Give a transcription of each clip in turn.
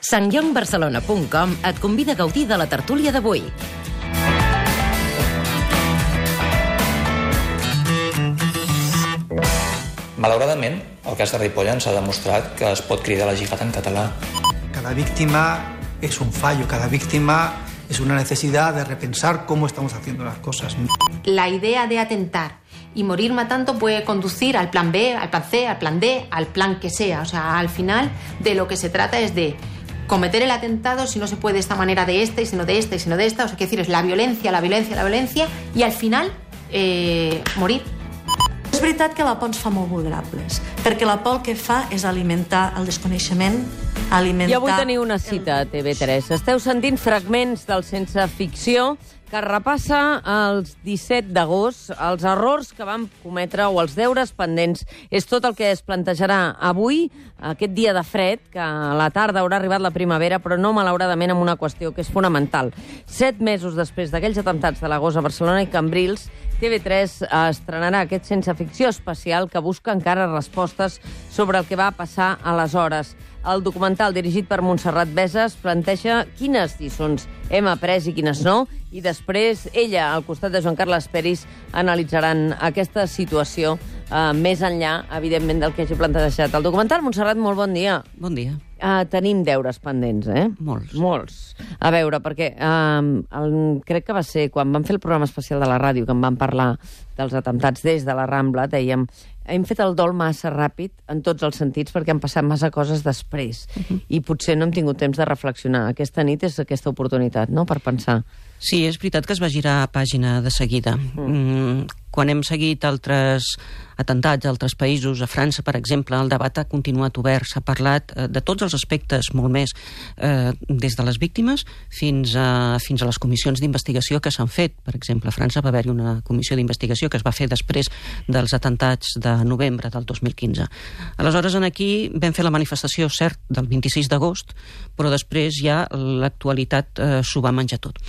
sangyongbarcelona.com et convida a gaudir de la tertúlia d'avui. Malauradament, el cas de Ripoll ens ha demostrat que es pot cridar la jihad en català. Cada víctima es un fallo, cada víctima es una necesidad de repensar cómo estamos haciendo las cosas. La idea de atentar y morir matando puede conducir al plan B, al plan C, al plan D, al plan que sea. O sea, al final de lo que se trata es de cometer el atentado, si no se puede de esta manera, de esta, y si no de esta, y si no de esta. O sea, quiero decir, es la violencia, la violencia, la violencia, y al final morir. És veritat que la por ens fa molt vulnerables, perquè la por el que fa és alimentar el desconeixement, alimentar... I avui teniu una cita a TV3. Esteu sentint fragments del Sense Ficció que repassa els 17 d'agost, els errors que vam cometre o els deures pendents. És tot el que es plantejarà avui, aquest dia de fred, que a la tarda haurà arribat la primavera, però no malauradament amb una qüestió que és fonamental. 7 mesos després d'aquells atemptats de l'agost a Barcelona i Cambrils, TV3 estrenarà aquest Sense Ficció especial que busca encara respostes sobre el que va passar aleshores. El documental, dirigit per Montserrat Veses, planteja quines lliçons hem après i quines no, i després ella, al costat de Joan Carles Peris, analitzaran aquesta situació més enllà, evidentment, del que hagi plantejat el documental. Montserrat, molt bon dia. Bon dia. Tenim deures pendents, eh? Molts. A veure, perquè crec que va ser quan vam fer el programa especial de la ràdio, que en vam parlar dels atemptats des de la Rambla, dèiem, hem fet el dol massa ràpid en tots els sentits perquè han passat massa coses després i potser no hem tingut temps de reflexionar. Aquesta nit és aquesta oportunitat, no?, per pensar. Sí, és veritat que es va girar pàgina de seguida. Quan hem seguit altres atemptats a altres països, a França, per exemple, el debat ha continuat obert. S'ha parlat de tots els aspectes, molt més, des de les víctimes fins a les comissions d'investigació que s'han fet. Per exemple, a França va haver-hi una comissió d'investigació que es va fer després dels atemptats de novembre del 2015. Aleshores, aquí vam fer la manifestació, cert, del 26 d'agost, però després ja l'actualitat s'ho va menjar tot.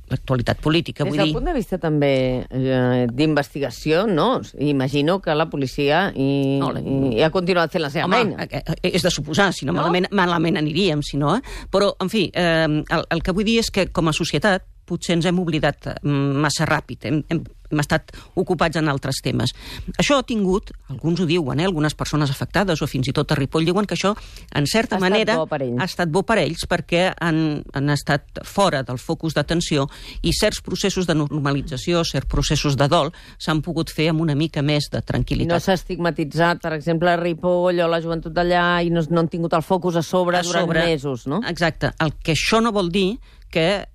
L'actualitat política, vull dir... Des del punt de vista també d'investigació, no? Imagino que la policia ha continuat fent la seva feina. És de suposar, si no, malament aniríem, si no. Però, en fi, el que vull dir és que com a societat potser ens hem oblidat massa ràpid, hem estat ocupats en altres temes. Això ha tingut, alguns ho diuen, algunes persones afectades o fins i tot a Ripoll diuen que això, en certa manera, ha estat bo per ells perquè han estat fora del focus d'atenció i certs processos de normalització, certs processos de dol s'han pogut fer amb una mica més de tranquil·litat. I no s'ha estigmatitzat, per exemple, Ripoll o la joventut d'allà i no han tingut el focus a sobre durant mesos, no? Exacte. El que això no vol dir que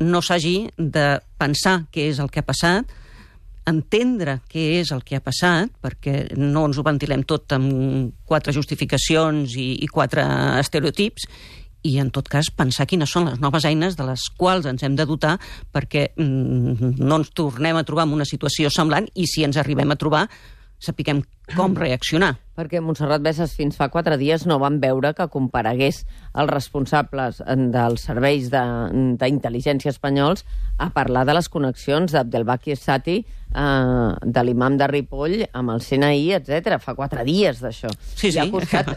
no s'hagi de pensar què és el que ha passat, entendre què és el que ha passat, perquè no ens ho ventilem tot amb 4 justificacions i 4 estereotips, i en tot cas pensar quines són les noves eines de les quals ens hem de dotar perquè no ens tornem a trobar en una situació semblant i si ens arribem a trobar sapiguem com reaccionar. Perquè Montserrat Veses fins fa 4 dies no van veure que comparegués els responsables dels serveis d'intel·ligència espanyols a parlar de les connexions d'Abdelbaki Sati, de l'imam de Ripoll, amb el CNI, etc. Fa 4 dies d'això. Sí, ha costat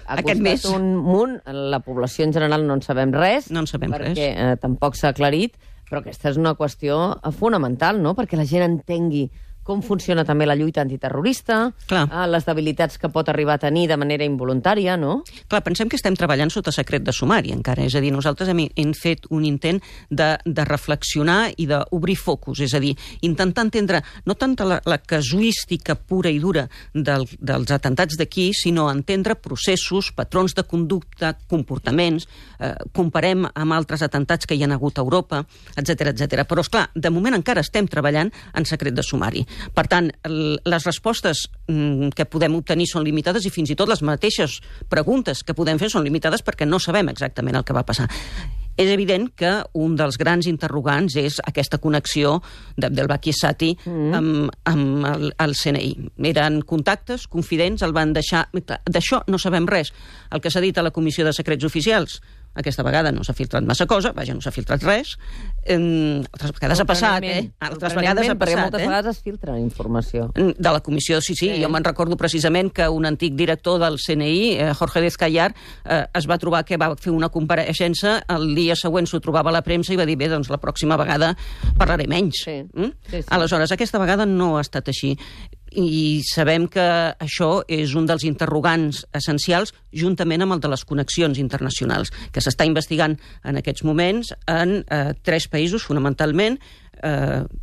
un munt. La població en general no en sabem res. No en sabem res. Perquè tampoc s'ha aclarit, però aquesta és una qüestió fonamental, no?, perquè la gent entengui com funciona també la lluita antiterrorista, les debilitats que pot arribar a tenir de manera involuntària, no? Clar, pensem que estem treballant sota secret de sumari encara, és a dir, nosaltres hem fet un intent de reflexionar i d'obrir focus, és a dir, intentar entendre no tant la casuística pura i dura dels atemptats d'aquí, sinó entendre processos, patrons de conducta, comportaments, comparem amb altres atemptats que hi ha hagut a Europa, etc. Però, esclar, de moment encara estem treballant en secret de sumari. Per tant, les respostes que podem obtenir són limitades i fins i tot les mateixes preguntes que podem fer són limitades perquè no sabem exactament el que va passar. És evident que un dels grans interrogants és aquesta connexió d'Abdelbaki Sati amb el CNI. Eren contactes, confidents, el van deixar... D'això no sabem res. El que s'ha dit a la Comissió de Secrets Oficials Aquesta vegada no s'ha filtrat massa cosa, vaja, no s'ha filtrat res. Altres vegades ha passat, Altres vegades ha passat, perquè moltes vegades es filtra informació. De la comissió, sí. Jo me'n recordo precisament que un antic director del CNI, Jorge Descallar, es va trobar que va fer una compareixença, el dia següent s'ho trobava a la premsa i va dir, bé, doncs la pròxima vegada parlaré menys. Sí. Aleshores, aquesta vegada no ha estat així. I sabem que això és un dels interrogants essencials juntament amb el de les connexions internacionals, que s'està investigant en aquests moments en 3 països, fonamentalment,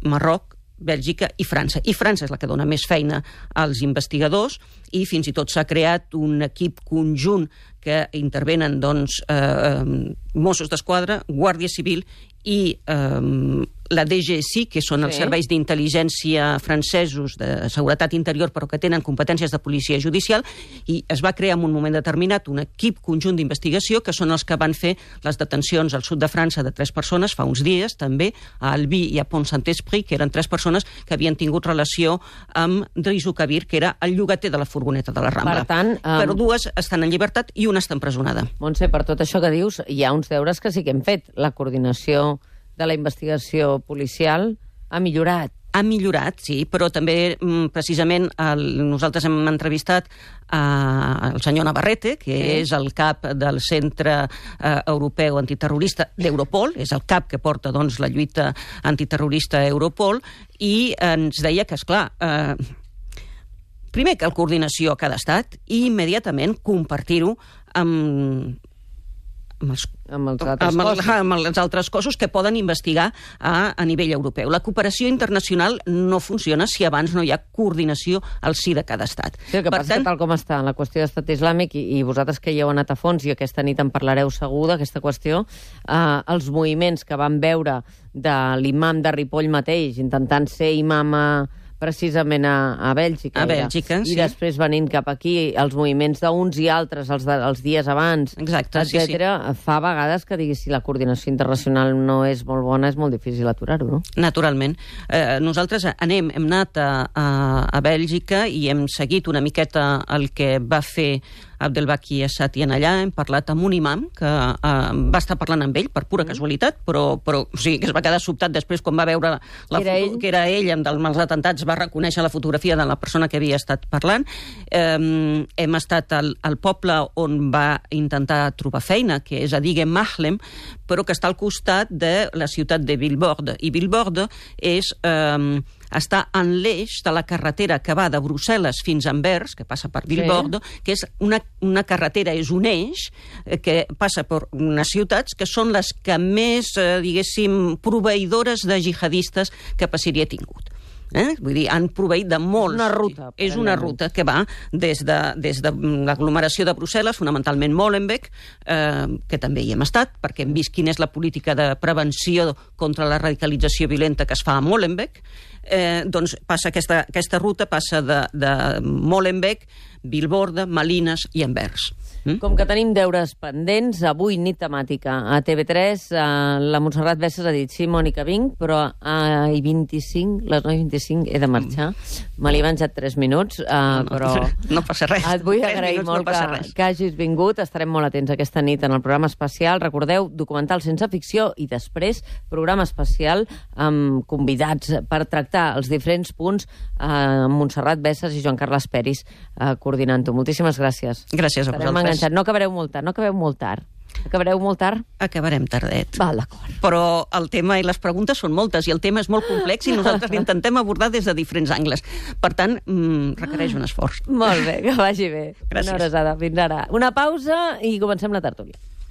Marroc, Bèlgica i França. I França és la que dona més feina als investigadors i fins i tot s'ha creat un equip conjunt que intervenen Mossos d'Esquadra, Guàrdia Civil i la DGSI, que són els serveis d'intel·ligència francesos de seguretat interior, però que tenen competències de policia judicial, i es va crear en un moment determinat un equip conjunt d'investigació, que són els que van fer les detencions al sud de França de 3 persones fa uns dies, també a Albi i a Pont-Saint-Esprit, que eren 3 persones que havien tingut relació amb Drisu Kabir, que era el llogater de la furgoneta de la Rambla. Per tant, però 2 estan en llibertat i una està empresonada. Montse, per tot això que dius, hi ha uns deures que sí que hem fet. La coordinació de la investigació policial ha millorat. Ha millorat, sí, però també precisament nosaltres hem entrevistat el senyor Navarrete, que és el cap del Centre Europeu Antiterrorista d'Europol, és el cap que porta la lluita antiterrorista a Europol, i ens deia que, esclar, primer que la coordinació a cada estat i immediatament compartir-ho amb els altres cossos que poden investigar a nivell europeu. La cooperació internacional no funciona si abans no hi ha coordinació al si de cada estat. Sí, el que passa és que tal com està la qüestió d'estat islàmic, i vosaltres que hi heu anat a fons i aquesta nit en parlareu segur d'aquesta qüestió, els moviments que vam veure de l'imam de Ripoll mateix intentant ser imam precisament a Bèlgica. A Bèlgica, sí. I després venint cap aquí, els moviments d'uns i altres, els dies abans, etcètera, fa vegades que diguis si la coordinació internacional no és molt bona, és molt difícil aturar-ho, no? Naturalment. Nosaltres hem anat a Bèlgica i hem seguit una miqueta el que va fer Abdelbaki Essatian allà. Hem parlat amb un imam que va estar parlant amb ell per pura casualitat, però sí, que es va quedar sobtat després quan va veure que era ell amb els atentats, va reconèixer la fotografia de la persona que havia estat parlant. Hem estat al poble on va intentar trobar feina, que és a Digue Mahlem, però que està al costat de la ciutat de Vilvoorde. I Vilvoorde està en l'eix de la carretera que va de Brussel·les fins a Anvers, que passa per Vilvoorde, que és una carretera, és un eix que passa per unes ciutats que són les que més, diguéssim, proveïdores de jihadistes cap a Síria ha tingut. Vull dir, han proveït de molts. Una ruta. És una ruta que va des de l'aglomeració de Brussel·les, fonamentalment Molenbeek, que també hi hem estat, perquè hem vist quina és la política de prevenció contra la radicalització violenta que es fa a Molenbeek. Doncs passa aquesta ruta, passa de Molenbeek, Vilvoorde, Malines i Anvers. Com que tenim deures pendents, avui nit temàtica a TV3, la Montserrat Bessas ha dit sí, Mònica, vinc, però a les 9:25 he de marxar. Me l'he menjat 3 minuts, però... No passa res. Et vull agrair molt que hagis vingut. Estarem molt atents aquesta nit en el programa especial. Recordeu, documental sense ficció i després programa especial amb convidats per tractar els diferents punts amb Montserrat Bessas i Joan Carles Peris coordinant-ho. Moltíssimes gràcies. Gràcies a vosaltres. No acabareu molt tard. Acabareu molt tard? Acabarem tardet. Val, d'acord. Però el tema i les preguntes són moltes i el tema és molt complex i nosaltres l'intentem abordar des de diferents angles. Per tant, requereix un esforç. Molt bé, que vagi bé. Gràcies. Una abraçada. Fins ara. Una pausa i comencem la tertúlia.